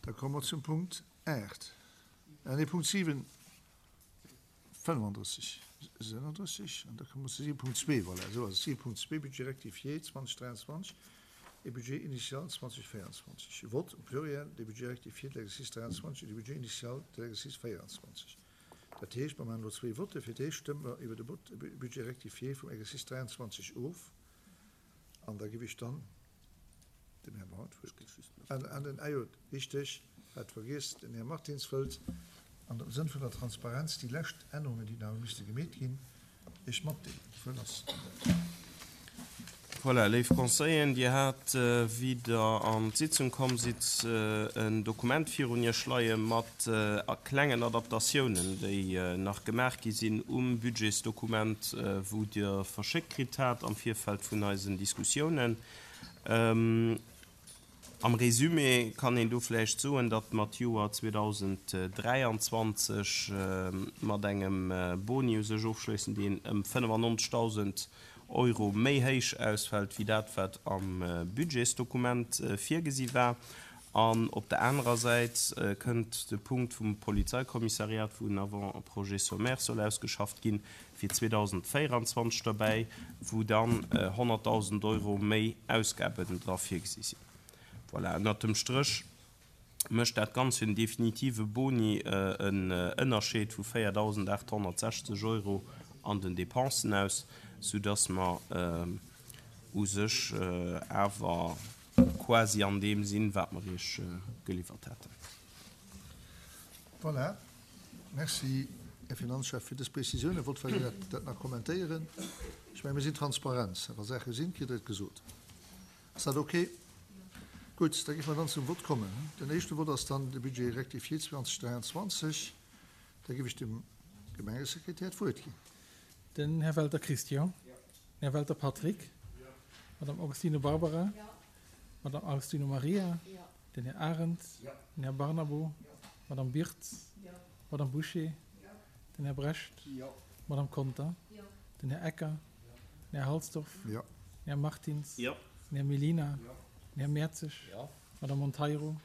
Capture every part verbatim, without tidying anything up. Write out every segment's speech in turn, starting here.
Da komme mer zum Punkt aacht, nee, Punkt siwen, fënnefandrësseg, sënnendrësseg, an da komme mer zu siwe Punkt zwee, voilà, esou ass et, siwe Punkt zwee, Budget rectifié zweedausend dräianzwanzeg et Budget initial zweedausend véierundzwanzeg. Vote au pluriel des budgets rectifiés de l'exercice dräianzwanzeg et du budget initial de l'exercice véierundzwanzeg. Dat heescht, mer maachen elo zwee Votte. Fir d'éischt stëmme mer iwwer de Budget rectifié vum Exercice dräianzwanzeg of an da géif ech dann dem Här Braun d'Wuert ginn. An, an den, ah jo, richteg, hat vergiess, den Här Martins wëllt an dem Sënn vun der Transparenz déi lescht Ännerungen, déi nach hu misste gemeet ginn, Iech matdeelen. D'Wuert ass un Iech. Voilà, léif Conseilleren, Dir hat, wéi Der an d'Sitzung komm sidd, en Dokument virun Iech leie mat klengen Adaptatiounen, déi nach gemaach gi sinn um Budgetsdokument, wou Dir verschéckt kritt hat am Virfeld vun eisen Diskussiounen. Am Résumé kann een do vläicht soen, datt mer d'Joer zweedausend dräianzwanzeg mat engem Boni u sech ofschléissen, deen ëm fënnefannonzegdausend Euro méi héich ausfält wéi dat, wat am Budgetsdokument virgesi war. An op der anerer Säit kënnt de Punkt vum Polizeikommissariat, wou en Avant-projet sommaire soll ausgeschafft ginn fir zweedausend véierundzwanzeg derbäi, wou dann honnertdausend Euro méi Ausgaben dra virgesi sinn. Voilà, ënnert dem Stréch mécht dat Ganzt fir den definitive Boni en Ënnerscheed vu véierdausendaathonnertsechzeg Euro an den Dépensen aus, soudass mer u sech awer quasi an deem sinn, wat mer Iech geliwwert haten. Voilà, merci, Här Finanzchef, fir dës Prezisiounen. Wollt vläicht dat nach kommentéieren. Ech mengen, mir sinn transparent. Wa Saache sinn, kritt Der et gesot. Ass dat okay? Gutt, da géife mer dann zum Vott kommen. Den éischte Vott ass dann de Budget rectifié zweedausend dräianzwanzeg. Da géif ech dem Gemengesekretär d'Wuert ginn. Den Här Welter Christian. Den Här Welter Patrick. Madame Augustino Barbara. Madame Augustino Maria. Den Här Arendt. Den Här Barnabo. Madame Birtz. Madame Boucher. Den Här Brecht. Madame Conter. Den Här Ecker. Den Här Halsdorf. Den Här Martins. Den Här Mellina. Den Här Mertzig. Madame Monteiro.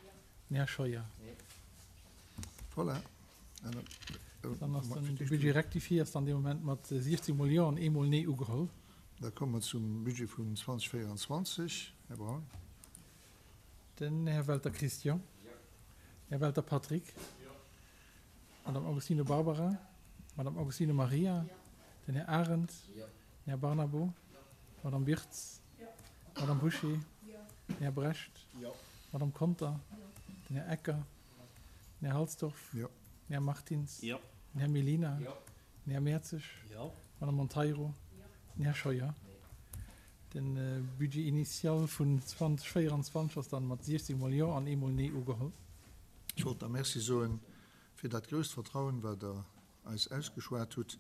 Den Här Scheuer. Voilà. Dann ass den Budget rectifié ass dann dee Moment mat siechzeg mol Jo an eemol Nee ugeholl. Da komme mer zum Budget vun zweedausend véierundzwanzeg. Här Braun. Den Här Welter Christian. Den Här Welter Patrick. Madame Augustino Barbara. Madame Augustino Maria. Den Här Arendt. Den Här Barnabo. Madame Birtz. Madame Boucher. Den Här Brecht. Madame Conter. Den Här Ecker. Den Här Halsdorf. Den Här Martins. Den Här Mellina. Den Här Mertzig. Madame Monteiro. Den Här Scheuer. De Budget initial vun zweedausend véierundzwanzeg ass dann mat siechzeg mol Jo an eemol Nee ugeholl. Ech wollt der Merci soen fir dat grousst Vertrauen, wat Der eis ausgeschwat hutt.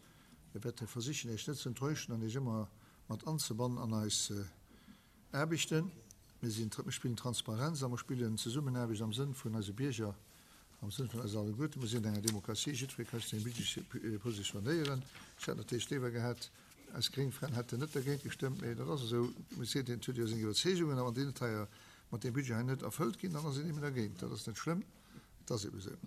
Mir wäerte versichen, Iech net ze enttäuschen an Iech ëmmer mat anzebannen an eis Aarbechten. Mir sinn, mir spillen Transparenz a mer spillen Zesummenaarbecht am Sënn vun eise Bierger, am Sënn vun eis alleguerten. Mir sinn an enger Demokratie, jiddweree ka sech zu engem Budget positionéieren. Ech hätt natierlech léiwer gehat, eis gréng Fränn hätten net dergéint gestëmmt, mee dat ass esou. Mee seet een, et huet jo seng Iwwerzeegungen, a wann déi net hei mat deem Budget hei net erfëllt ginn, dann ass een eben dergéint. Dat ass net schlëmm, et ass eben esou.